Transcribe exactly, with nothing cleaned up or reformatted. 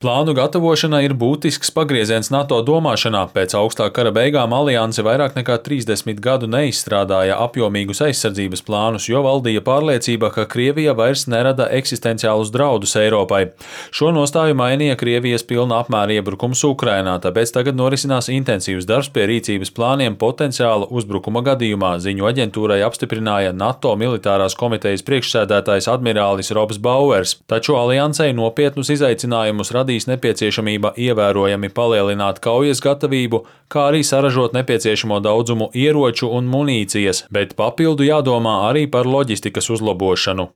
Plānu gatavošana ir būtisks pagrieziens NATO domāšanā. Pēc augstā kara beigām alianse vairāk nekā trīsdesmit gadu neizstrādāja apjomīgus aizsardzības plānus, jo valdīja pārliecība, ka Krievija vairs nerada eksistenciālus draudus Eiropai. Šo nostāju mainīja Krievijas pilna apmēra iebrukums Ukrainā, tāpēc tagad norisinās intensīvs darbs pie rīcības plāniem potenciāla uzbrukuma gadījumā, ziņu aģentūrai apstiprināja NATO militārās komitejas priekšsēdētājs admirālis Robs Bauers. Taču aliansei nopietnus izaicinājumus radīja nepieciešamība ievērojami palielināt kaujas gatavību, kā arī saražot nepieciešamo daudzumu ieroču un munīcijas, bet papildu jādomā arī par loģistikas uzlabošanu.